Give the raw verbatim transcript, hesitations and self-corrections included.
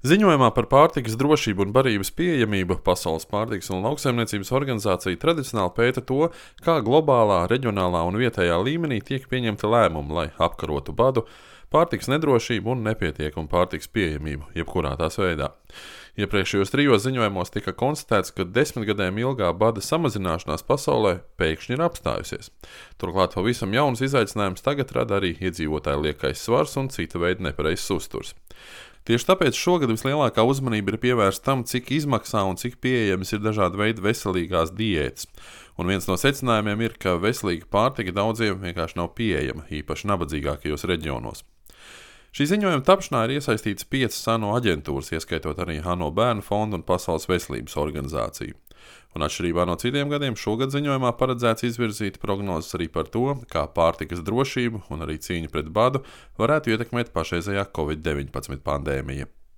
Ziņojumā par pārtikas drošību un barības pieejamību Pasaules pārtikas un lauksaimniecības organizācija tradicionāli pēta to, kā globālā, reģionālā un vietējā līmenī tiek pieņemti lēmumi, lai apkarotu badu, pārtikas nedrošību un nepietiekumu pārtikas pieejamību, jebkurā tās veidā. Iepriekšējos trijos ziņojumos tika konstatēts, ka desmitgadēm ilgā bada samazināšanās pasaulē pēkšņi ir apstājusies. Turklāt pavisam jauns izaicinājums tagad rada arī iedzīvotāju liekais svars un cita veida nepareizs uzturs. Tieši tāpēc šogad vislielākā uzmanība ir pievērsta tam, cik izmaksā un cik pieejamas ir dažādi veidi veselīgās diētas. Un viens no secinājumiem ir, ka veselīga pārtika daudziem vienkārši nav pieejama, īpaši nabadzīgākajos reģionos. Šī ziņojuma tapšanā ir iesaistīts piecas ANO aģentūras, ieskaitot arī ANO Bērnu fondu un Pasaules veselības organizāciju. Un atšķirībā no citiem gadiem, šogad ziņojumā paredzēts izvirzīt prognozes arī par to, kā pārtikas drošību un arī cīņu pret badu varētu ietekmēt pašreizējā covid deviņpadsmit pandēmija.